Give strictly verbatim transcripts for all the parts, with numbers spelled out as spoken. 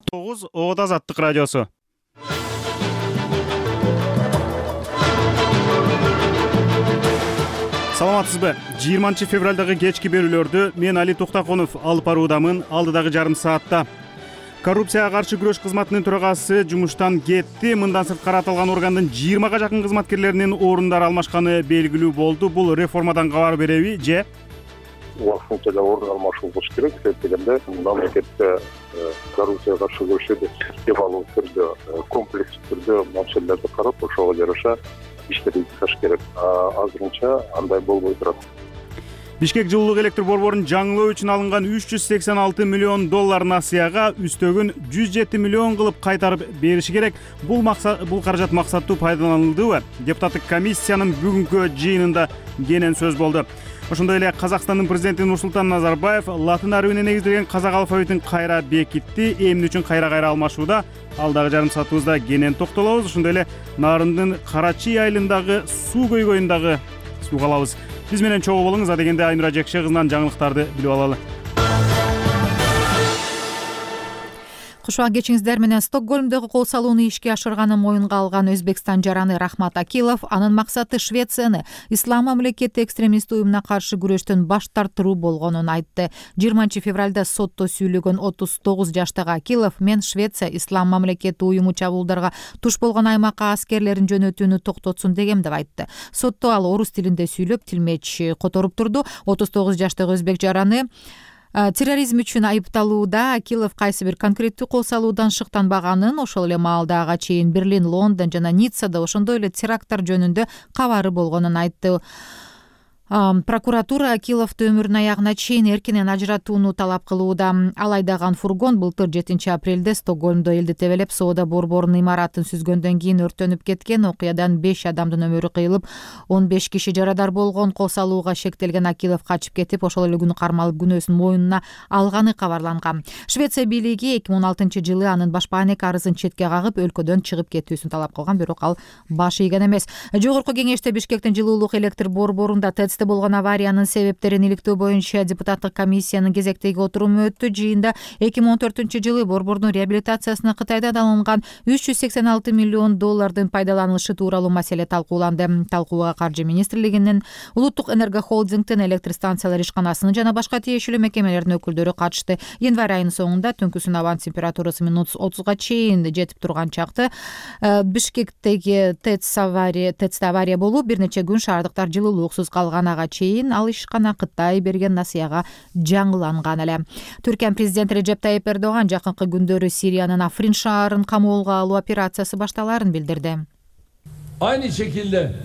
тогуз Ода Азаттык радиосу. Саламатсызбы? жыйырманчы февралдагы кечки берүүлөрдү мен Али Токтаконов алып баруудамын. Алдыдагы жарым саатта коррупцияга каршы күрөш кызматынын төрагасы жумуштан кетти. Мындан сырткары аталган органдын жыйырмага жакын кызматкерлеринин орундары алмашканы белгилүү болду. Бул реформадан кабар береби же? Убактылуу эле орун алмашуу болуш керек. Себеп дегенде мамлекетте коррупцияга каршы күрөшүүдө системалуу түрдө, комплекстүү түрдө маселелерди карап, ошого жараша иштерди жасаш керек. Азырынча андай болбой турат. Бишкек жылуулук электр борборун жаңылоо үчүн алынган үч жүз сексен алты миллион доллар насыяга үстөгүн жүз жети миллион кылып кайтарып бериши керек. Бул максат бул каражат максаттуу пайдаланылдыбы? Депутаттык комиссиянын бүгүнкү жыйынында кенен сөз болду. Ошондой эле Казакстандын президенти Нурсултан Назарбаев латын арабине негизделген казак алфавитин кайра бекитти. Эмне үчүн кайра-кайра алмашууда? Алдагы жарым саатыбызда кенен токтолобуз. Ошондой эле Нарындын Карачи айылындагы суу көйгөйүндагы сууга алабыз. Биз менен чогуу болуңуз. А дегенде Айнура Жекше кызынан жаңылыктарды билип алалы. Кушуак кечиңиздер менен Стокгольмдогу кол салууну ишке ашырганын моюнга алган Өзбекстан жараны Рахмат Акилов анын максаты Швецияны ислам мамлекети экстремист уюмуна каршы күрөштөн баш тартыруу болгонун айтты. жыйырманчы февралда сотто сүйлөгөн отуз тогуз жаштагы Акилов мен Швеция ислам мамлекети уюму чабуулдарга туш болгон аймакка аскерлерин жөнөтүүнү токтотсун дегем деп айтты. Сотто ал орус тилинде сүйлөп, тилмеч которуп турду. отуз тогуз жаштагы өзбек жараны терроризм үчүн айыпталууда Акилов кайсы бир конкреттүү кол салуудан шыктанбаганын, ошол эле маалда ага чейин Берлин, Лондон жана Ниццада ошондой эле теракттар жөнүндө кабары болгонун айтты. Прокуратура Акиловду өмүрүнүн аягына чейин эркинен ажыратууну талап кылууда. Ал айдаган фургон былтыр жетинчи апрелде Стокгольмдо элди тебелеп, соода борборунун имаратын сүзгөндөн кийин өрттөнүп кеткен. Окуядан беш адамдын өмүрү кыйылып, он беш киши жарадар болгон. Кол салууга шектелген Акилов качып кетип, ошол эле күнү кармалып күнөөсүн мойнуна алганы кабарланган. Швеция бийлиги эки миң он алтынчы жылы анын башпаанек арызын четке кагып, өлкөдөн чыгып кетүүсүн талап кылган, бирок ал баш ийген эмес. Жогорку кеңеште Бишкектин жылуулук электр борборунда ТЭЦте болгон авариянын себептерин иликтөө боюнча депутаттык комиссиянын кезектеги отуруму өттү. Жыйында эки миң он төртүнчү жылы борбордун реабилитациясына Кытайдан алынган үч жүз сексен алты миллион доллардын пайдаланылышы тууралуу маселе талкууланды. Талкууга Каржы министрлигинин, Улуттук энергохолдингдин, электр станциялар ишканасынын жана башка тиешелүү мекемелердин өкүлдөрү катышты. Январь айынын соңунда түнкүсүн абан температурасы минус отузга чейин жетип турган чакты Бишкектеги ТЭЦ авария ТЭЦте авария болуп, бир нече күн шаардыктар жылуулуксуз калган. Ага чейин ал ишкана Кытай берген насыяга жаңыланган эле. Түркия президенти Режеп Тайип Эрдоган жакынкы күндөрү Сириянын Африн шаарын камоолго алуу операциясы башталарын билдирди. Aynı şekilde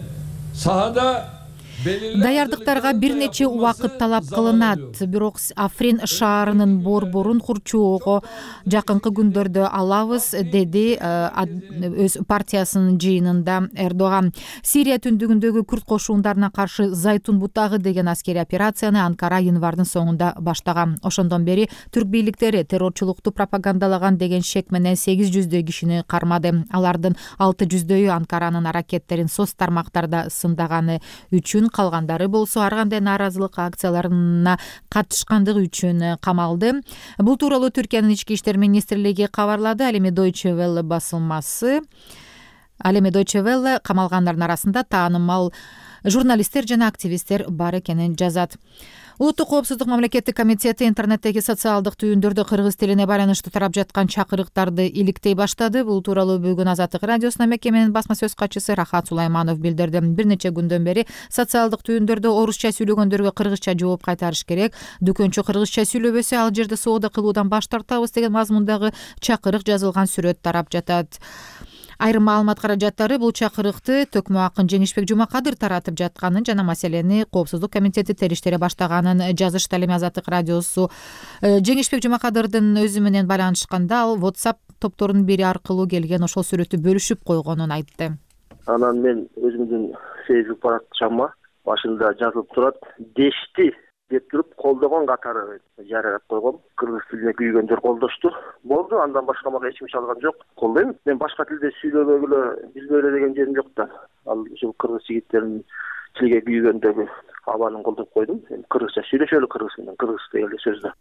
sahada Даярдыктарга бир нече убакыт талап кылынат, бирок Африн шаарынын борборун курчоого жакынкы күндөрдө алабыз, деди өз партиясынын жыйынында Эрдоган. Сирия түндүгүндөгү күрд кошундарына каршы Зайтун бутагы деген аскерий операцияны Анкара январдын соңунда баштаган. Ошондон бери түрк бийликтери террорчулукту пропагандалаган деген шек менен сегиз жүздөй кишини кармады. Алардын алты жүздөйү Анкаранын аракеттерин соц тармактарда сындаганы үчүн, калгандары болсо ар кандай нааразылык акцияларына катышкандыгы үчүн камалды. Бул тууралуу Түркиянын ички иштер министрлиги кабарлады. Ал эми Deutsche Welle басылмасы Ал эми Deutsche Welle камалгандардын арасында таанымал журналисттер жана активисттер бар экенин жазат. Улуттук коопсуздук мамлекеттик комитети интернеттеги социалдык түйүндөрдө кыргыз тилине байланыштуу тарап жаткан чакырыктарды иликтей баштады. Бул тууралуу бүгүн Азаттык радиосуна мекеменин басма сөз катчысы Рахат Сулайманов билдирди. Бир нече күндөн бери социалдык түйүндөрдө орусча сүйлөгөндөргө кыргызча жооп кайтарыш керек. Дүкөнчү кыргызча сүйлөбөсө ал жерде соода кылуудан баш тартабыз деген мазмундагы чакырык жазылган сүрөт тарап жатат. Айрым маалымат каражаттары бул чакырыкты Төкмө акын Жеңишбек Жумакадыр таратып жатканын жана маселени Коопсуздук комитети териштире баштаганын жазышты. Ал эми Азаттык радиосу Жеңишбек Жумакадырдын өзү менен байланышканда ал WhatsApp топторунун бири аркылуу келген ошол сүрөттү бөлүшүп койгонун айтты. Анан мен өзүмдүн Facebook баракчама башында жазылып турат, дешти деп туруп колдогон катары жарыяп койгом. Кыргыз тилине күйгөндөр колдошту. Болду, андан башка мага эч ким чалган жок. Колдойм. Мен башка тилде сүйлөбөгүлө, билбөйлө деген жерим жок да. Ал ушул кыргыз жигиттеринин тилге күйгөндөгү абанын колдоп койдум. Кыргызча сүйлөшөлү кыргыз менен, кыргыз деген сөз да.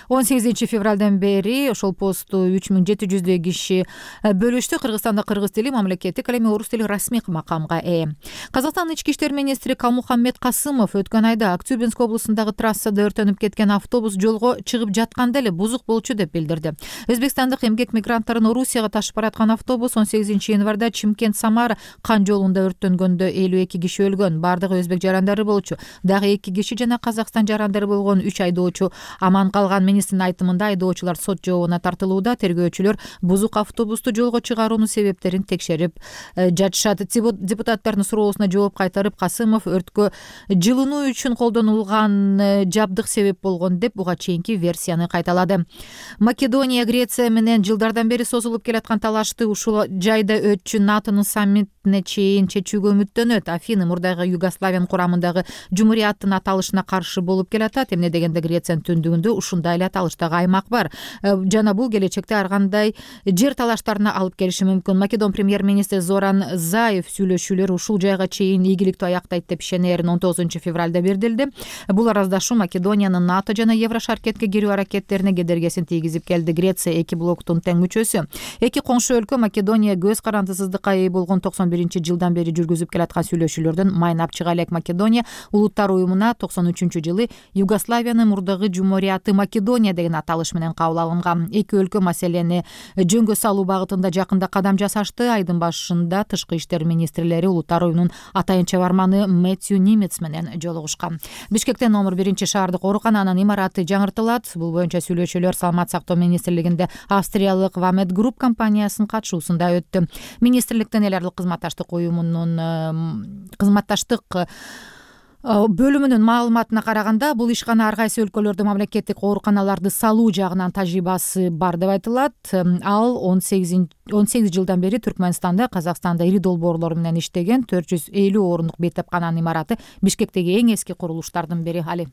он сегизинчи февралдан бери ошол посту үч миң жети жүздөй киши бөлүштү. Кыргызстанда кыргыз тили мамлекеттик, ал эми орус тили расмий макамга ээ. Казакстандын ички иштер министри Калмухаммед Касымов өткөн айда Актюбинск облусундагы трассада өртөнүп кеткен автобус жолго чыгып жатканда эле бузук болчу деп билдирди. Өзбекстандык эмгек мигранттарын Орусияга ташып бараткан автобус он сегизинчи январда Чимкент-Самара кан жолунда өрттөнгөндө элүү эки киши өлгөн. Бардыгы өзбек жарандары болчу. Дагы эки киши жана Казакстан жарандары болгон үч айдоочу аман калган. Министрдин айтымында айдоочулар сот жообуна тартылууда. Тергөөчүлөр бузук автобусту жолго чыгаруунун себептерин текшерип жатышат. Депутаттардын суроосуна жооп кайтарып Касымов өрткө жылынуу үчүн колдонулган жабдык себеп болгон деп буга чейинки версияны кайталады. Македония Греция менен жылдардан бери созулуп келаткан талашты ушул жайда өтчү НАТОнун саммитине чейин чечүүгө үмүттөнөт. Афины мурдагы Югославиянын курамындагы жумурияттын аталышына каршы болуп келатат. Эмне дегенде Грециянын түндүгүндө ушундай эле аталыштагы аймак бар жана бул келечекте ар кандай жер талаштарына алып келиши мүмкүн. Македон премьер-министри Зоран Заев сүйлөшүүлөр ушул жайга чейин ийгиликтүү аяктайт деп ишенерин он тогузунчу февралда билдирди. Бул араздашуу Македониянын НАТО жана Еврошаркетке кирүү аракеттерине кедергесин тийгизип келди. Греция эки блоктун тең мүчөсү. Эки коңшу өлкө Македония көз карандысыздыкка ээ болгон токсон биринчи жылдан бери жүргүзүп келаткан сүйлөшүүлөрдөн майнап чыга элек. Македония Улуттар уюмуна токсон үчүнчү жылы Югославиянын мурдагы жумурияты Македония деген аталыш менен кабыл алынган. Эки өлкө маселени жөнгө салуу багытында жакында кадам жасашты. Айдын башында тышкы иштер министрлери Улуттар уюмунун атайын чабарманы Мэтью Нимец менен жолугушкан. Бишкекте номер биринчи шаардык оорукананын имараты жаңыртылат. Бул боюнча сүйлөшүүлөр Саламат сактоо министрлигинде австриялык Вамед Групп компаниясынын катышуусунда өттү. Министрликтин эл аралык кызматташтык уюмунун кызматташтык бөлүмүнүн маалыматына караганда, бул ишкана ар кайсы өлкөлөрдө мамлекеттик ооруканаларды салуу жагынан тажрыйбасы бар деп айтылат. Ал он сегиз жылдан бери Түркмөнстанда, Казакстанда ири долбоорлор менен иштеген төрт жүз элүү орунлук бейтапкананын имараты Бишкектеги эң эски курулуштардын бири. Али.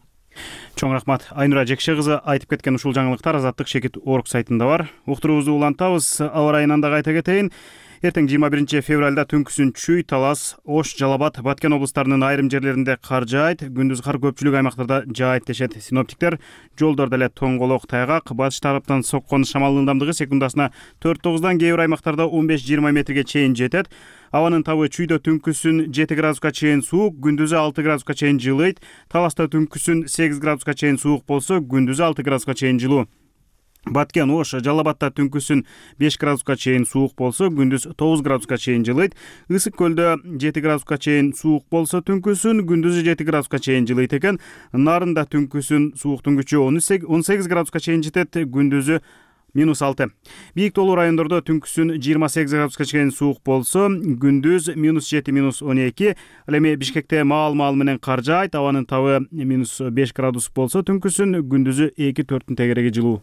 Чоң рахмат. Айнура Жекше кызы айтып кеткен ушул жаңылыктар Азаттык Шекит Орг сайтында бар. Уктуруубузду улантабыз. Аба ырайынан да кайта кетейин. Эртең жыйырма биринчи февралда түнкүсүн Чүй, Талас, Ош, Жалал-Абад, Баткен облустарынын айрым жерлеринде кар жаайт, күндүз кар көпчүлүк аймактарда жаайт дешет синоптиктер. Жолдордо эле тоңголок, тайгак, батыш тараптан соккон шамалдын ылдамдыгы секундасына төрт тогуздан, кээ бир аймактарда он беш жыйырма метрге чейин жетет. Абанын табы Чүйдө түнкүсүн жети градуска чейин суук, күндүзү алты градуска чейин жылыйт. Таласта түнкүсүн сегиз градуска чейин суук болсо, күндүзү алты градуска чейин жылуу. Баткен, Ош, Жалал-Абадта түнкүсүн беш градуска чейин суук болсо, күндүз тогуз градуска чейин жылыйт. Ысык көлдө жети градуска чейин суук болсо, түнкүсүн күндүзү жети градуска чейин жылыйт экен. Нарында түнкүсүн сууктун күчү он сегиз градуска чейин жетет, күндүзү минус алты. Бийик тоолуу райондордо түнкүсүн жыйырма сегиз градуска чейин суук болсо, күндүз минус жети, минус он эки. Ал эми Бишкекте маал-маал менен кар жаайт, абанын табы минус беш градус болсо, түнкүсүн күндүзү эки төрттүн тегереги жылуу.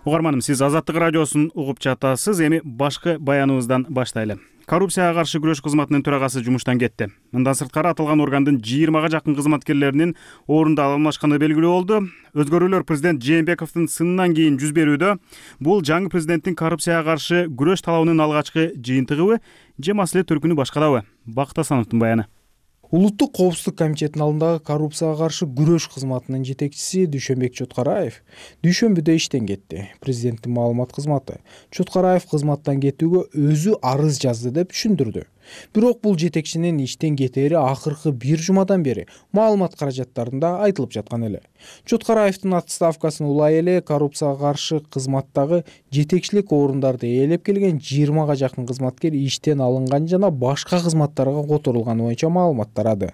Угарманым, сиз Азаттык радиосун угуп жатасыз. Эми башкы баяныбыздан баштайлы. Коррупцияга каршы күрөш кызматынын төрагасы жумуштан кетти. Мындан сырткары аталган органдын жыйырмага жакын кызматкерлеринин орунда алмашканы белгилүү болду. Өзгөрүүлөр президент Жээнбековдун сынынан кийин жүз берүүдө. Бул жаңы президенттин коррупцияга каршы күрөш талабынын алгачкы жыйынтыгыбы же маселе төркүнү башкадабы? Бакыт Асановдун баяны. Улуттук коопсуздук комитетинин алдындагы коррупцияга каршы күрөш кызматынын жетекчиси Дүйшөнбек Чоткараев дүйшөмбүдө иштен кетти. Президенттин маалымат кызматы Чоткараев кызматтан кетүүгө өзү арыз жазды деп түшүндүрдү. Бирок бул жетекчинин иштен кетери акыркы бир жумадан бери маалымат каражаттарында айтылып жаткан эле. Чоткараевдин отставкасын улай эле коррупцияга каршы кызматтагы жетекчилик орундарды ээлеп келген жыйырмага жакын кызматкер иштен алынган жана башка кызматтарга которулганы боюнча маалымат тарады.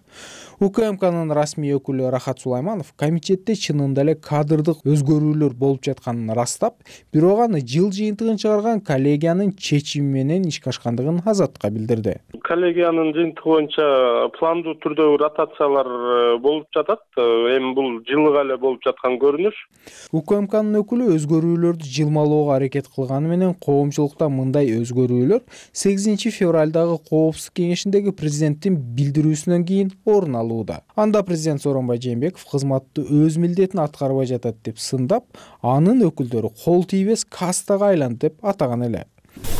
УКМКнын расмий өкүлү Рахат Сулайманов комитетте чынында эле кадрдык өзгөрүүлөр болуп жатканын ырастап, бирок аны жыл жыйынтыгын чыгарган коллегиянын чечими менен ишке ашкандыгын Азаттыкка билдирди. Коллегиянын жыйынтыгы боюнча пландуу түрдө ротациялар болуп жатат. Эми бул жылга эле болуп жаткан көрүнүш. УКМКнын өкүлү өзгөрүүлөрдү жылмалоого аракет кылганы менен коомчулукта мындай өзгөрүүлөр сегизинчи февралдагы коопсуздук кеңешиндеги президенттин билдирүүсүнөн кийин орун алууда. Анда президент Сооронбай Жээнбеков кызматты өз милдетин аткарбай жатат деп сындап, анын өкүлдөрү кол тийбес кастага айланды деп атаган эле.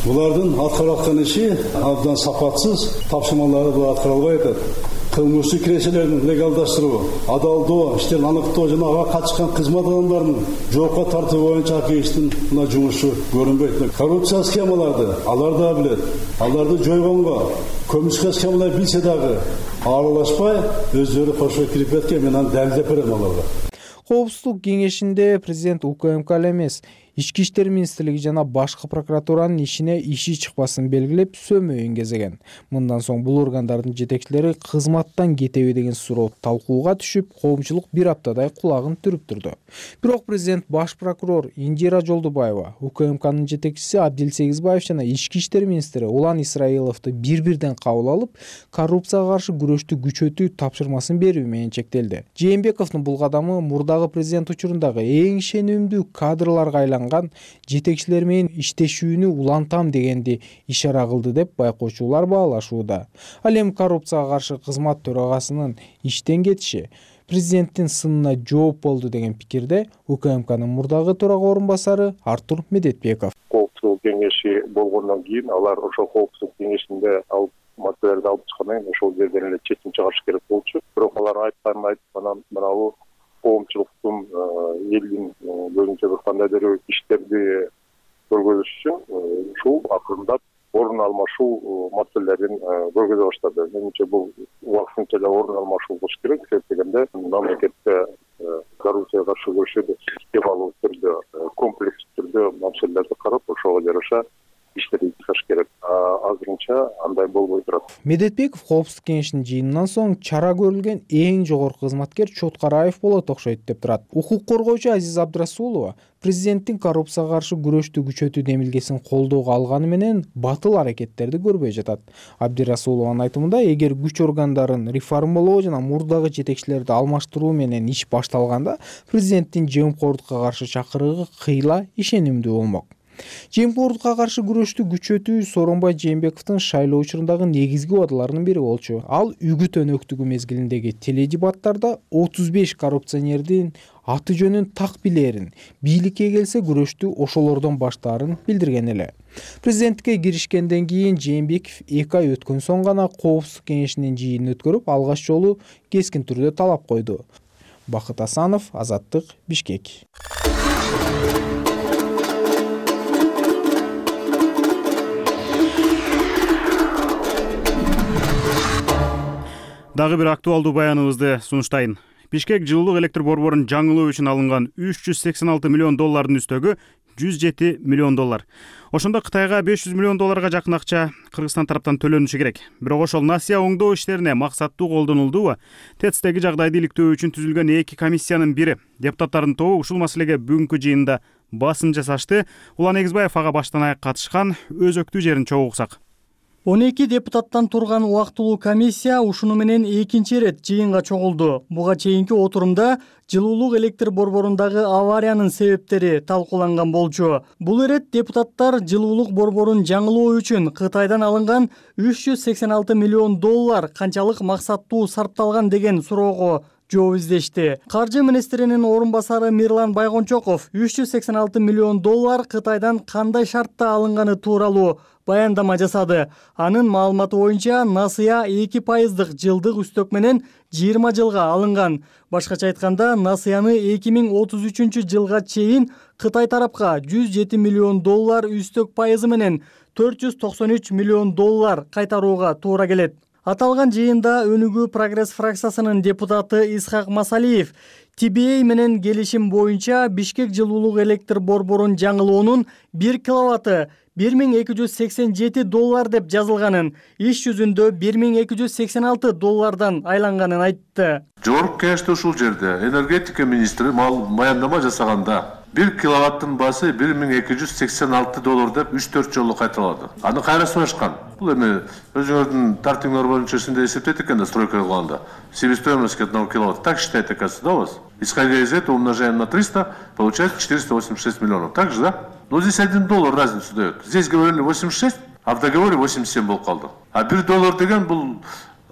Булардын аткарып аткан иши абдан сапатсыз, тапшырмалары да аткара албай атат. Кылмыштык кирешелерин легалдаштыруу, адалдоо, иштерин аныктоо жана ага катышкан кызмат адамдарынын жоопко тартуу боюнча акыйыштын мына жумушу көрүнбөйт. Коррупция схемаларды алар да билет. Аларды жойгонго көмүшкө схемалар билсе дагы аралашпай өздөрү кошо кирип кеткен, мен аны далилдеп берем аларга. Коопсуздук кеңешинде президент УКМК эмес, Ички иштер министрлиги жана башкы прокуратуранын ишине иши чыкпасын белгилеп сөмөйүн кезеген. Мындан соң бул органдардын жетекчилери кызматтан кетеби деген суроо талкууга түшүп, коомчулук бир аптадай кулагын түрүп турду. Бирок президент баш прокурор Индира Жолдубаева, УКМКнын жетекчиси Абдил Сегизбаев жана ички иштер министри Улан Исраиловду бир-бирден кабыл алып, коррупцияга каршы күрөштү күчөтүү тапшырмасын берүү менен чектелди. Жээнбековдун бул кадамы мурдагы президент учурундагы эң ишенимдүү кадрларга айланган жетекчилер менен иштешүүнү улантам дегенди ишара кылды деп байкоочулар баалашууда. Ал эми коррупцияга каршы кызмат төрагасынын иштен кетиши президенттин сынына жооп болду деген пикирде УКМКнын мурдагы төрага орун басары Артур Медетбеков. Коопсуздук кеңеши болгондон кийин алар ошол коопсуздук кеңешинде алып маселелерди алып чыккандан кийин ошол жерден эле чечим чыгарыш керек болчу. Бирок алар айтканын айтып анан мынабу коомчулуктун элдин боюнча бир кандайдыр иштерди көргөзүш үчүн ушул акырындап орун алмашуу маселелерин көргөзө баштады. Менимче бул убактынча эле орун алмашуу болуш керек. Себеп дегенде мамлекетте коррупцияга каршы күрөшүүдө системалуу түрдө, комплекстүү түрдө маселелерди карап, ошого жараша иштерди чыгыш керек. Азырынча андай болбой турат. Медетбеков коопсуздук кеңешинин жыйынынан соң чара көрүлгөн эң жогорку кызматкер Чоткараев болот окшойт деп турат. Укук коргоочу Азиз Абдрасулова президенттин коррупцияга каршы күрөштү күчөтүү демилгесин колдоого алганы менен батыл аракеттерди көрбөй жатат. Абдрасулованын айтымында, эгер күч органдарын реформалоо жана мурдагы жетекчилерди алмаштыруу менен иш башталганда, президенттин жемкорлукка каршы чакырыгы кыйла ишенимдүү болмок. Жемкорлукка каршы күрөштү күчөтүү Сооронбай Жээнбековдун шайлоо учурундагы негизги убадаларынын бири болчу. Ал үгүт өнөктүгү мезгилиндеги теледебаттарда отуз беш коррупционердин аты жөнүн так билерин, бийликке келсе күрөштү ошолордон баштаарын билдирген эле. Президенттикке киришкенден кийин Жээнбеков эки ай өткөн соң гана коопсуздук кеңешинин жыйынын өткөрүп, алгач жолу кескин түрдө талап койду. Бакыт Асанов, Азаттык, Бишкек. Дагы бир актуалдуу баяныбызды сунуштайын. Бишкек жылуулук электр борборун жаңылоо үчүн алынган үч жүз сексен алты миллион доллардын үстөгү жүз жети миллион доллар. Ошондо Кытайга беш жүз миллион долларга жакын акча Кыргызстан тараптан төлөнүшү керек. Бирок ошол насыя оңдоо иштерине максаттуу колдонулдубу? ТЭЦтеги жагдайды иликтөө үчүн түзүлгөн эки комиссиянын бири депутаттардын тобу ушул маселеге бүгүнкү жыйында басым жасашты. Улан Эгизбаев ага баштан аяк катышкан, өзөктүү жерин чогуу уксак. он эки депутаттан турган убактылуу комиссия ушуну менен экинчи ирет жыйынга чогулду. Буга чейинки отурумда жылуулук электр борборундагы авариянын себептери талкууланган болчу. Бул ирет депутаттар жылуулук борборун жаңылоо үчүн Кытайдан алынган үч жүз сексен алты миллион доллар канчалык максаттуу сарпталган деген суроого жооп издешти. Каржы министринин орун басары Мирлан Байгончоков үч жүз сексен алты миллион доллар Кытайдан кандай шартта алынганы тууралуу баяндама жасады. Анын маалыматы боюнча насыя эки пайыздык жылдык үстөк менен жыйырма жылга алынган. Башкача айтканда, насыяны эки миң отуз үчүнчү жылга чейин Кытай тарапка жүз жети миллион доллар үстөк пайызы менен төрт жүз токсон үч миллион доллар кайтарууга туура келет. Аталган жыйында Өнүгүү Прогресс фракциясынын депутаты Исхак Масалиев Ти Би Эй менен келишим боюнча Бишкек жылуулук электр борборун жаңылоонун бир киловатты бир миң эки жүз сексен жети доллар деп жазылганын, иш жүзүндө бир миң эки жүз сексен алты доллардан айланганын айтты. Жогорку кеңеште ушул жерде энергетика министри баяндама жасаганда бир киловаттын баасы бир миң эки жүз сексен алты доллар деп үч төрт жолу кайталады. Аны кайра сурашкан. Бул эми өзүңөрдүн тартиңер боюнча ушундай эсептейт экен да, стройка кылганда. Себестоимость одного киловатта так считает, оказывается, да, у вас? Исходя из этого умножаем на триста, получается четыреста восемьдесят шесть миллионов. Так же, да? Но здесь один доллар разницу дает. Здесь говорили восемьдесят шесть, а в договоре восемьдесят семь болуп калды. А бир доллар деген бул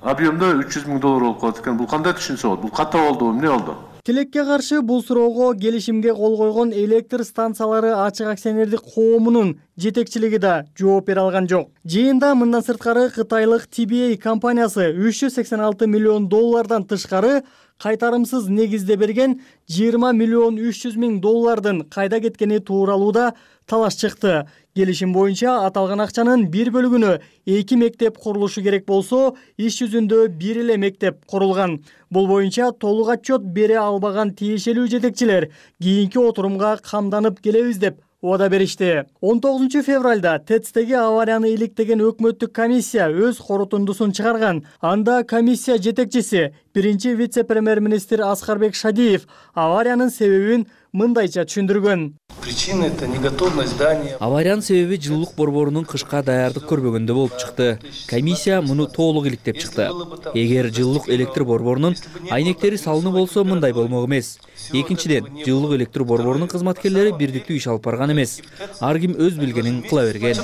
объемда үч жүз миң доллар болуп калат экен. Бул кандай түшүнсө болот? Бул ката болдубу, эмне болду? Тилекке каршы бул суроого келишимге кол койгон электр станциялары ачык акционердик коомунун жетекчилиги да жооп бере алган жок. Жыйында мындан сырткары кытайлык Ти Би Эй компаниясы үч жүз сексен алты миллион доллардан тышкары кайтарымсыз негизде берген жыйырма миллион үч жүз миң доллардын кайда кеткени тууралуу да талаш чыкты. Келишим боюнча аталган акчанын бир бөлүгүнө эки мектеп курулушу керек болсо, иш жүзүндө бир эле мектеп курулган. Бул боюнча толук отчет бере албаган тиешелүү жетекчилер кийинки отурумга камданып келебиз деп убада беришти. он тогузунчу февралда ТЭЦтеги аварияны иликтеген өкмөттүк комиссия өз корутундусун чыгарган. Анда комиссия жетекчиси, биринчи вице-премьер-министр Аскарбек Шадиев авариянын себебин мындайча түшүндүргөн. Причина — это неготовность здания. Авариянын себеби жылуулук борборунун кышка даярдык көрбөгөндө болуп чыкты. Комиссия муну толук иликтеп чыкты. Эгер жылуулук электр борборунун айнектери салынуу болсо, мындай болмок эмес. Экинчиден, жылуулук электр борборунун кызматкерлери бирдиктүү иш алып барган эмес. Ар ким өз билгенин кыла берген.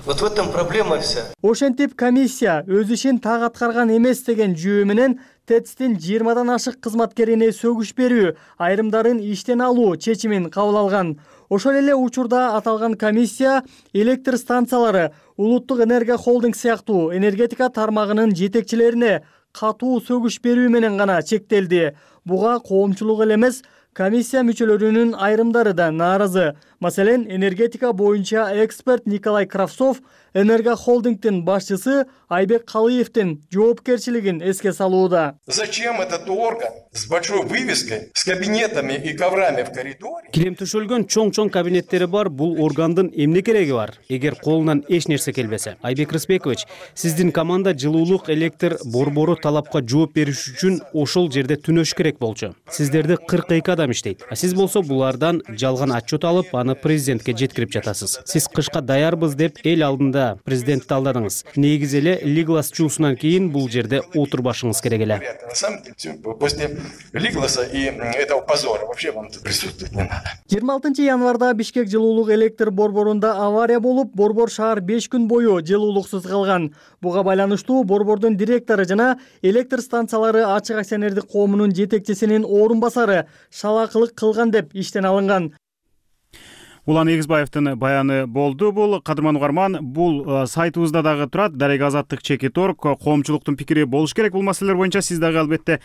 Вот в этом проблема вся. Ошентип комиссия өз ишин так аткарган эмес деген жүйө менен ТЭЦтин жыйырмадан ашык кызматкерине сөгүш берүү, айрымдарын иштен алуу чечимин кабыл алган. Ошол эле учурда аталган комиссия электр станциялары, Улуттук энергия холдинг сыяктуу энергетика тармагынын жетекчилерине катуу сөгүш берүү менен гана чектелди. Буга коомчулук эле эмес, комиссия мүчөлөрүнүн айрымдары да нааразы. Маселен, энергетика боюнча эксперт Николай Кравцов Энергохолдингдин башчысы Айбек Калыевдин жоопкерчилигин эске салууда. Зачем этот орган с большой вывеской, с кабинетами и коврами в коридоре? Килем төшөлгөн чоң-чоң кабинеттери бар, бул органдын эмне кереги бар, эгер колунан эч нерсе келбесе? Айбек Рысбекович, сиздин команда жылуулук электр борбору талапка жооп бериш үчүн ошол жерде түнөш керек болчу. Сиздерде кырк эки адам иштейт. А сиз болсо булардан жалган отчет алып, аны президентке жеткирип жатасыз. Сиз кышка даярбыз деп эл алдында президентти алдадыңыз. Негизи эле Лиглас чуусунан кийин бул жерде отурбашыңыз керек эле. На самом деле, после Лигласа и этого позора вообще вам тут присутствовать не надо. жыйырма алтынчы январда Бишкек жылуулук электр борборунда авария болуп, борбор шаар беш күн бою жылуулуксуз калган. Буга байланыштуу борбордун директору жана электр станциялары ачык акционердик коомунун жетекчисинин орун басары шалакылык кылган деп иштен алынган. Улан Эгизбаевдин баяны болду. Бул кадырман угарман, бул сайтыбызда дагы турат. Дарек Азаттык чекит орг. Коомчулуктун пикири болуш керек бул маселелер боюнча. Сиз дагы албетте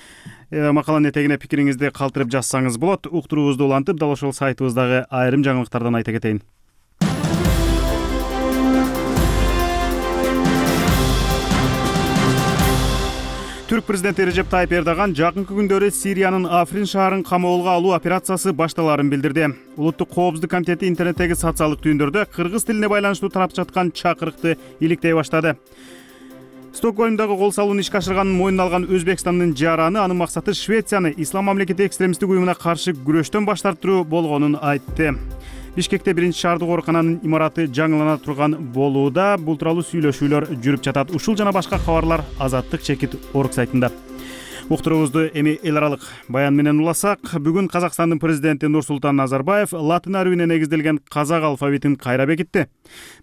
макаланын этегине пикириңизди калтырып жазсаңыз болот. Уктуруубузду улантып, дал ошол сайтыбыздагы айрым жаңылыктардан айта кетейин. Түрк президенти Режеп Тайып Эрдоган жакынкы күндөрү Сириянын Африн шаарын камоолго алуу операциясы башталарын билдирди. Улуттук коопсуздук комитети интернеттеги социалдык түйүндөрдө кыргыз тилине байланыштуу тарап жаткан чакырыкты иликтей баштады. Стокгольмдагы кол салууну ишке ашырганын мойнуна алган Өзбекстандын жараны анын максаты Швецияны ислам мамлекети экстремисттик уюмуна каршы күрөштөн баш тартыруу болгонун айтты. Бишкекте биринчи шаардык оорукананын имараты жаңылана турган болууда. Бул тууралуу сүйлөшүүлөр жүрүп жатат. Ушул жана башка кабарлар Азаттык чекит орг сайтында. Уктуруубузду эми эл аралык баян менен уласак, бүгүн Казакстандын президенти Нурсултан Назарбаев латын арабине негизделген казак алфавитин кайра бекитти.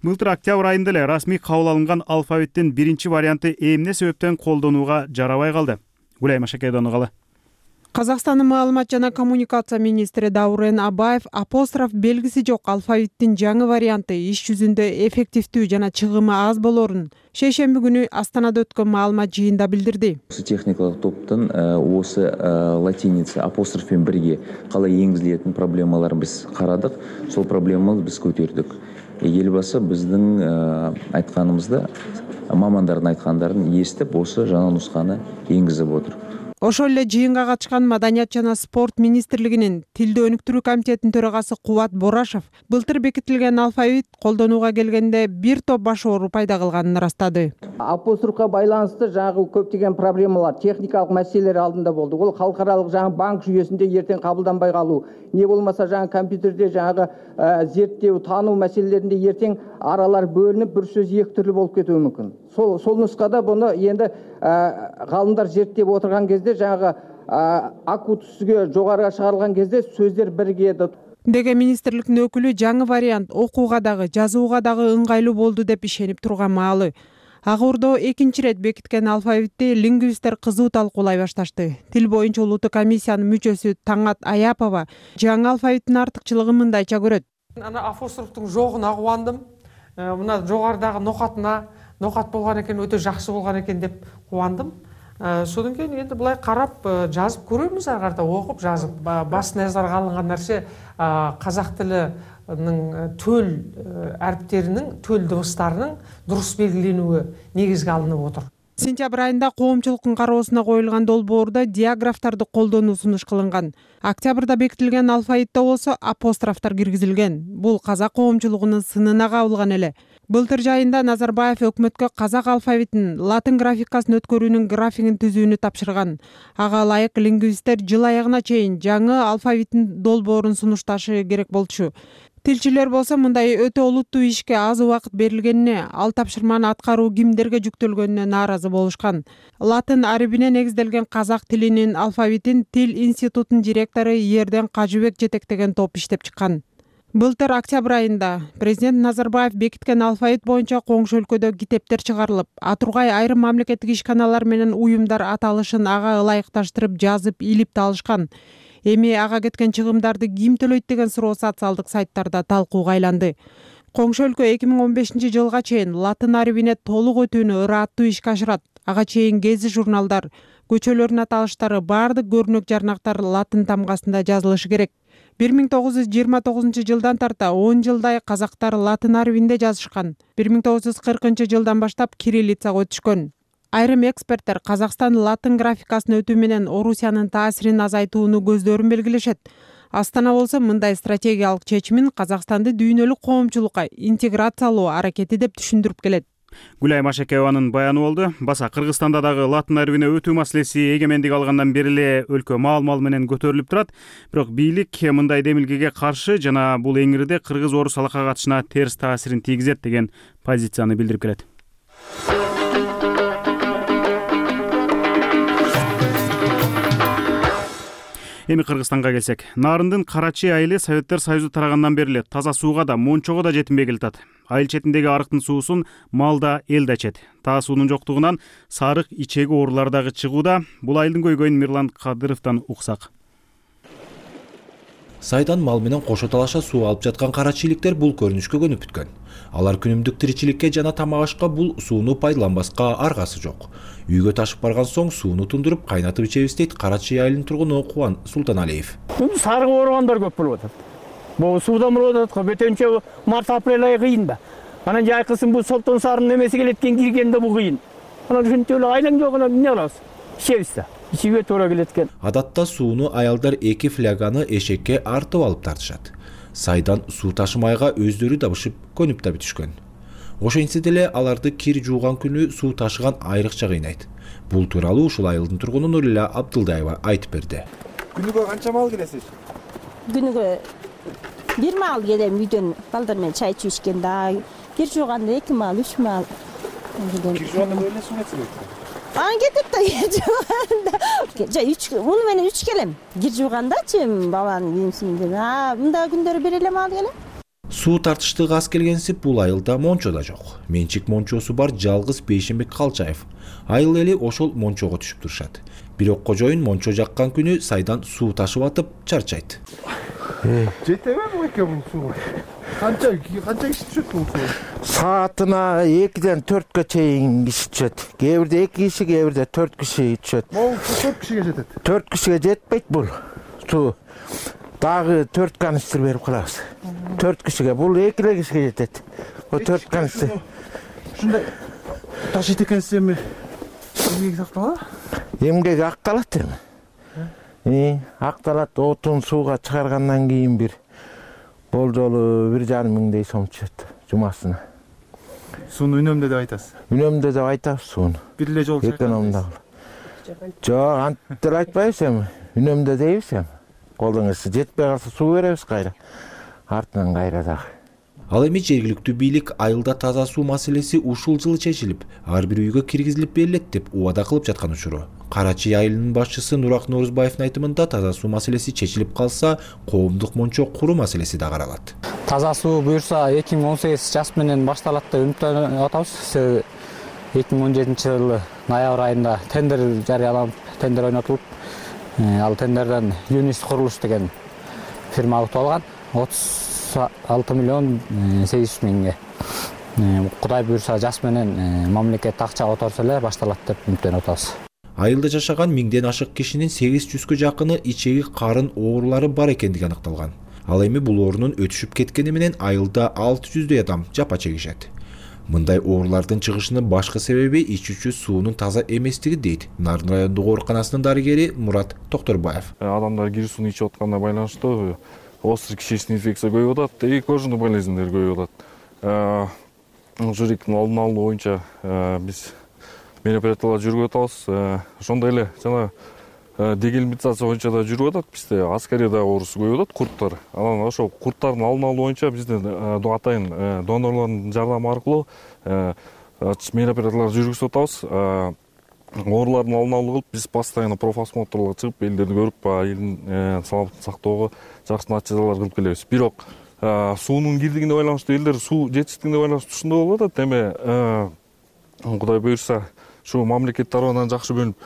Былтыр октябрь айында эле расмий кабыл алынган алфавиттин биринчи варианты эмне себептен колдонууга жарабай калды? Гулай Машакайдын калы. Казакстандын маалымат жана коммуникация министри Даурен Абаев апостроф белгиси жок алфавиттин жаңы варианты иш жүзүндө эффективдүү жана чыгымы аз болорун шейшемби күнү Астанада өткөн маалымат жыйында билдирди. Осы техникалык топтун осы латиница апостроф менен бирге калай энгизилетин проблемаларын биз карадык. Сол проблеманы биз көтөрдүк. Элбасы биздин айтканыбызды, мамандардын айткандарын эстеп, осы жаңы нусканы энгизип отур. Ошол эле жыйынга катышкан Маданият жана спорт министрлигинин тилди өнүктүрүү комитетинин төрагасы Кубат Борашев былтыр бекитилген алфавит колдонууга келгенде бир топ баш оору пайда кылганын ырастады. Апострофка байланыштуу жаңы көптөгөн проблемалар, техникалык маселелер алдында болду. Ол халкаралык жаңы банк жүйөсүндө эртең кабылданбай калуу, не болмаса жаңы компьютерде жаңы зерттөө, таануу маселелеринде эртең аралар бөлүнүп, бир сөз эки түрлүү болуп кетүү мүмкүн. Сол сол нускада буну енді галымдар зерттеп отурган кезде жаңы аку түсүгө жогору чыгарылган кезде сөздөр биригеді. Деген министрликтин өкүлү жаңы вариант окууга дагы, жазууга дагы ыңгайлуу болду деп ишенип турган маалы. Ак Ордо экинчи ирет бекиткен алфавитти лингвисттер кызуу талкуулай башташты. Тил боюнча улуттук комиссиянын мүчөсү Таңат Аяпова жаңы алфавиттин артыкчылыгын мындайча көрөт. Ана апострофтун жогуна кубандым. мына жогорудагы нокатына нокат болгон экен, өтө жакшы болгон экен деп кубандым. Содан кейін енді былай қарап жазып көреміз, ары қарата оқып жазып. Басты назарға алынған нәрсе қазақ тілінің төл әріптерінің, төл дыбыстарының дұрыс белгіленуі негізге алынып отыр. Сентябрь айында коомчулуктун кароосуна коюлган долбоордо диаграфтарды колдонуу сунуш кылынган. Октябрда бекитилген алфавитте болсо апострофтор киргизилген. Бул казак коомчулугунун сынына кабылган эле. Былтыр жайында Назарбаев өкмөткө казак алфавитин, латын графикасын өткөрүүнүн графигин түзүүнү тапшырган. Ага ылайык лингвисттер жыл аягына чейин жаңы алфавиттин долбоорун сунушташы керек болчу. Тилчилер болсо мындай өтө олуттуу ишке аз убакыт берилгенине, ал тапшырманы аткаруу кимдерге жүктөлгөнүнө нааразы болушкан. Латын арибине негизделген казак тилинин алфавитин Тил институтунун директору Ерден Кажыбек жетектеген топ иштеп чыккан. Былтыр октябрь айында президент Назарбаев бекиткен алфавит боюнча коңшу өлкөдө китептер чыгарылып, Атургай айрым мамлекеттик ишканалар менен уюмдар аталышын ага ылайыкташтырып жазып, илип талышкан. Эми ага кеткен чыгымдарды ким төлөйт деген суроо социалдык сайттарда талкууга айланды. Коңшу өлкө эки миң он бешинчи жылга чейин латын арибине толук өтүүнү ырааттуу ишке ашырат. Ага чейин гези журналдар, көчөлөрдүн аталыштары, баардык көрүнөк жарнактар латын тамгасында жазылышы керек. бир миң тогуз жүз жыйырма тогузунчу жылдан тарта он жылдай казактар латын арибинде жазышкан. бир миң тогуз жүз кыркынчы жылдан баштап кириллицага өтүшкөн. Айрым эксперттер Казакстан латын графикасын өтүү менен Орусиянын таасирин азайтууну көздөрүн белгилешет. Астана болсо мындай стратегиялык чечимин Казакстанды дүйнөлүк коомчулукка интеграциялоо аракети деп түшүндүрүп келет. Гүлай Машекееванын баяны болду. Баса Кыргызстанда дагы латын арибине өтүү маселеси эгемендик алгандан бери эле өлкө маал-мал менен көтөрүлүп турат. Бирок бийлик мындай демилгеге каршы жана бул эңирде кыргыз-орус алака катышына терс таасирин тийгизет деген позицияны билдирип келет. Эми Кыргызстанга келсек, Нарындын Карачи айылы Советтер Союзу тарагандан бери эле таза сууга да, мончого да жетинбей келатат. Айыл четиндеги арыктын суусун мал да, эл да ичет. Таа суунун жоктугунан сарык, ичеги оорулар дагы чыгууда. Бул айылдын көйгөйүн Мирлан Кадыровдон уксак. Сайдан мал менен кошо талаша суу алып жаткан карачиликтер бул көрүнүшкө көнүп бүткөн. Алар күнүмдүк тиричиликке жана тамак ашка бул сууну пайдаланбаска аргасы жок. Үйгө ташып барган соң сууну тундуруп кайнатып ичебиз дейт Карачи айылынын тургуну Кубан Султаналиев. Сарык ооругандар көп болуп атат. Бул суудан болуп атат го, бөтөнчө март апрель айы кыйын да. Анан жайкысын бул Солтон сарынын эмеси келеткен киргенде бул кыйын. Анан ушинтип эле айлаң жок, анан эмне кылабыз? Ичебиз да. Ичүүгө туура келет экен. Адатта сууну аялдар эки фляганы эшекке артып алып тартышат. Сайдан суу ташымайга өздөрү дабышып көнүп да бүтүшкөн. Ошентсе деле аларды кир жууган күнү суу ташыган айрыкча кыйнайт. Бул тууралуу ушул айылдын тургуну Нурила Абдылдаева айтып берди. Күнүгө канча мал келесиз? Күнүгө бир мал келем, үйдөн балдар менен чай ичип ичкенде, кир жууганда эки мал, үч мал. Кир жууганда көлө суу кетсиз? Ан кетет да кир жууганда. Жа үч, муну менен үч келем. Кир жуугандачы баланын кийимсинден. А, мында күндөрү бир эле мал келем. Суу тартыштыгы аз келгенсип бул айылда мончо да жок. Менчик мончосу бар жалгыз Бейшенбек Калчаев. Айыл эли ошол мончого түшүп турушат. Бирок кожоюн мончо жаккан күнү сайдан суу ташып атып чарчайт. Жетеби бул эки миң суу? Канча канча киши түшөт бул суу? Саатына экиден төрткө чейин киши түшөт. Кээ бирде эки киши, кээ бирде төрт киши түшөт. Бул төрт кишиге жетет. төрт кишиге жетпейт бул суу. Дагы төрт канистр берип калабыз. төрт кишиге, бул эки эле кишиге жетет. Бул төрт канистр. Ушундай ташыйт экенсиз эми эмгеги сакталат? Эмгеги акталат эми. Акталат, отун сууга чыгаргандан кийин бир болжолу бир жарым миңдей сом түшөт жумасына. Сууну үнөмдө деп айтасыз? Үнөмдө деп айтабыз сууну. Бир эле жолу экономдуу. Жок, антип айтпайбыз эми. Үнөмдө дейбиз эми. Колуңуз жетпей калса суу беребиз кайра. Артынан кайра дагы. Ал эми жергиликтүү бийлик айылда таза суу маселеси ушул жылы чечилип, ар бир үйгө киргизилип берилет деп убада кылып жаткан учуру. Карачи айылынын башчысы Нурак Норузбаевдин айтымында таза суу маселеси чечилип калса, коомдук мончо куруу маселеси да каралат. Таза суу буюрса эки миң он сегиз жаз менен башталат деп үмүттөнүп атабыз. Себеби эки миң он жетинчи жылы ноябрь айында тендер жарыяланып, тендер ойнотулуп, ал тендерден Юнис курулуш деген фирма утуп алган. отуз алты миллион сегиз жүз миңге. кудай буюрса жаз менен мамлекет акча которсо эле башталат деп үмүттөнүп атабыз. Айылда жашаган миңден ашык кишинин сегиз жүзгө жакыны ичеги карын оорулары бар экендиги аныкталган. Ал эми бул оорунун өтүшүп кеткени менен айылда алты жүздөй адам жапа чегишет. Мындай оорулардын чыгышынын башкы себеби ичүүчү суунун таза эместиги дейт Нарын райондук ооруканасынын дарыгери Мурат Токторбаев. Адамдар кир сууну ичип атканына байланыштуу острый кишечный инфекция көбөйүп атат и кожный болезньдер көбөйүп атат. Ушундын алдын алуу боюнча биз мероприятиялар жүргүзүп атабыз. Ошондой эле жана дегельминтация боюнча да жүрүп атат. Бизде аскарияда оорусу көбөйүп атат, курттар. Анан ошо курттардын алдын алуу боюнча биздин атайын донорлордун жардамы аркылуу мероприятиялар жүргүзүп атабыз. Оорулардын алдын алуу кылып, биз постоянно профосмотрлорго чыгып, элдерди көрүп, элдин саламаттыгын сактоого жакшы натыйжалар кылып келебиз. Бирок суунун кирдигине байланыштуу элдер суу жетишсиздигине байланыштуу ушундай болуп атат. Эми Кудай буюрса, ушу мамлекет тарабынан жакшы бөлүнүп,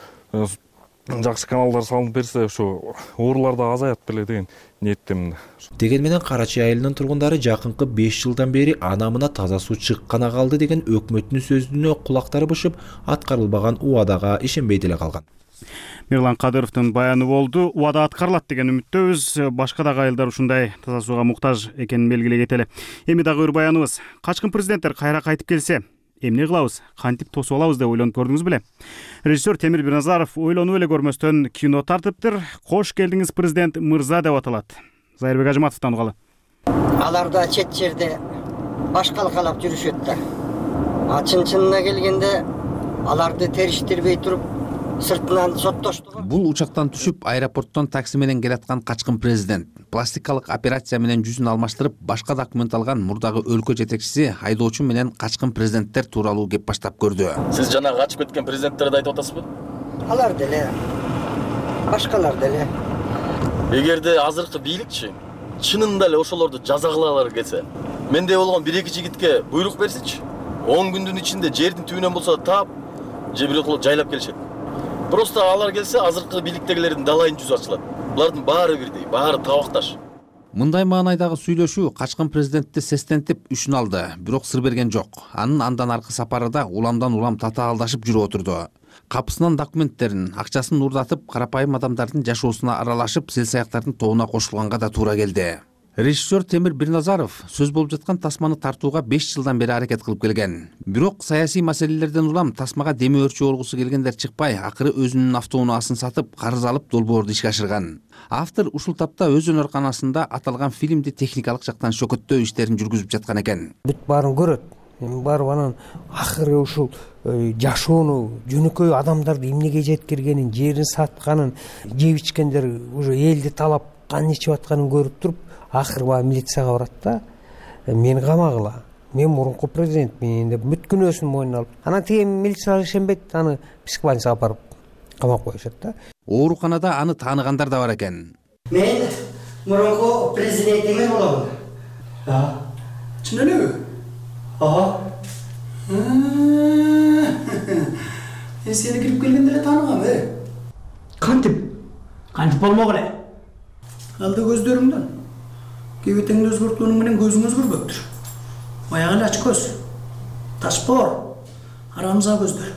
жакшы каналдар салынып берсе, ушу оорулар да азаят беле деген ниеттемин. Деген менен Карачи айылынын тургундары жакынкы беш жылдан бери анамына таза суу чыккана калды деген өкмөттүн сөзүнө кулактары бышып, аткарылбаган убадага ишенбей деле калган. Мирлан Кадыровдун баяны болду. Убада аткарылат деген үмүттөбүз. Башка дагы айылдар ушундай таза сууга муктаж экенин белгилей кетели. Эми дагы бир баяныбыз. Качкын президенттер кайра кайтып келсе, эмне кылабыз, кантип тосуп алабыз деп ойлонуп көрдүңүз беле? Режиссер Темир Бирназаров ойлонуп эле көрмөстөн кино тартыптыр. Кош келдиңиз президент мырза деп аталат. Зайырбек Ажыматовдон угалы. Алар да чет жерде башкалкалап жүрүшөт да. А чын-чынына келгенде аларды териштирбей туруп сыртынан соттоштугу. Бул учактан түшүп, аэропорттон такси менен келаткан качкын президент пластикалык операция менен жүзүн алмаштырып, башка документ алган мурдагы өлкө жетекчиси айдоочу менен качкын президенттер тууралуу кеп баштап көрдү. Сиз жана качып кеткен президенттерди айтып атасызбы? Алар деле, башкалар деле. Эгерде азыркы бийликчи чынында эле ошолорду жаза кылалар келсе, менде болгон бир эки жигитке буйрук берсичи, он күндүн ичинде жердин түбүнөн болсо таап, же бирок жайлап келишет. Просто алар келсе, азыркы бийликтегилердин далайын жүзү ачылат. Булардын баары бирдей, баары табакташ. Мындай маанайдагы сүйлөшүү качкын президентти сестентип үшүн алды, бирок сыр берген жок. Анын андан аркы сапары да уламдан улам татаалдашып жүрүп отурду. Капысынан документтерин, акчасын урдатып, карапайым адамдардын жашоосуна аралашып, сел-саяктардын тобуна кошулганга да туура келди. Режиссер Темир Бирназаров сөз болуп жаткан тасманы тартууга беш жылдан бери аракет кылып келген. Бирок саясий маселелерден улам тасмага деми өрчү болгусу келгендер чыкпай, акыры өзүнүн автоунаасын сатып, карыз алып долбоорду ишке ашырган. Автор ушул тапта өз өнөр-канасында аталган фильмди техникалык жактан шөкөттөө иштерин жүргүзүп жаткан экен. Бүт баарын көрөт. Эми барып анан акыры ушул жашоону, жөнөкөй адамдарды эмнеге жеткиргенин, жерин сатканын, жеп ичкендер уже элди талап кан ичип атканын көрүп туруп, акыры баягы милицияга барат да, мени камагыла, мен мурунку президентмин деп бүт күнөөсүн мойнуна алып, анан тиги милициялар ишенбейт, аны психбольницага барып камап коюшат да. Ооруканада аны тааныгандар да бар экен. Мен мурунку президентиңиз боломун. А, чын элеби? Ага. Мен сени кирип келгенде эле тааныгам, э? Кантип? Кантип болмок эле? Алды көздөрүңдөн. Кебетеңди өзгөрткөнүң менен көзүң өзгөрбөктүр. Баягы эле ач көз, ташпор, арамза көздөр.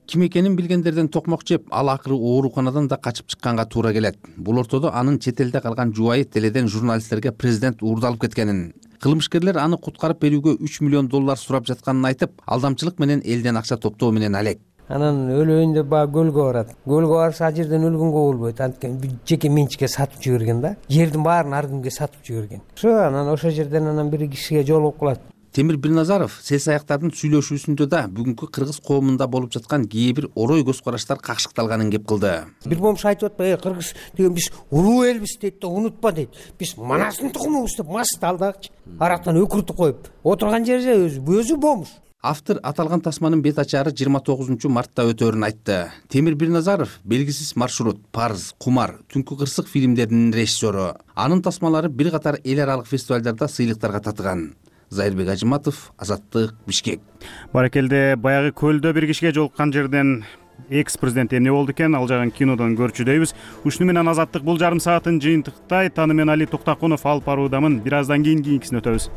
Ким экенин билгендерден токмок жеп, ал акыры ооруканадан да качып чыкканга туура келет. Бул ортодо анын чет элде калган жубайы теледен журналисттерге президент уурдалып кеткенин, кылмышкерлер аны куткарып берүүгө үч миллион доллар сурап жатканын айтып, алдамчылык менен элден акча топтоо менен алек. Анан өлөйүн деп баягы көлгө барат. Көлгө барса ал жерден өлгөнгө болбойт. Анткени жеке менчикке сатып жиберген да. Жердин баарын ар кимге сатып жиберген. Ошо анан ошо жерден анан бир кишиге жолугуп калат. Темир Бирназаров сел-саяктардын сүйлөшүүсүндө да бүгүнкү кыргыз коомунда болуп жаткан кээ бир орой көз караштар какшыкталганын кеп кылды. Бир момуш айтып атпайбы, "Эй, кыргыз деген биз улуу элбиз" дейт да, унутпа дейт. Биз манасын тукумубуз деп масты алдагычы. Арактан өкүртүп коюп, отурган жерде өзү өзү момуш. Автор аталган тасманын бет ачары жыйырма тогузунчу мартта өтөөрүн айтты. Темир Бирназаров белгисиз маршрут, Парыз, Кумар, Түнкү кырсык фильмдеринин режиссеру. Анын тасмалары бир катар эл аралык фестивалдарда сыйлыктарга татыган. Зайырбек Ажыматов, Азаттык, Бишкек. Баракелде, баягы көлдө бир кишиге жолуккан жерден экс президент эмне болду экен, ал жагын кинодон көрчү дейбиз. Ушуну менен Азаттык бул жарым саатын жыйынтыктай. Таны мен Али Токтакунов алып баруудамын. Бир аздан кийин кийинкисине өтөбүз.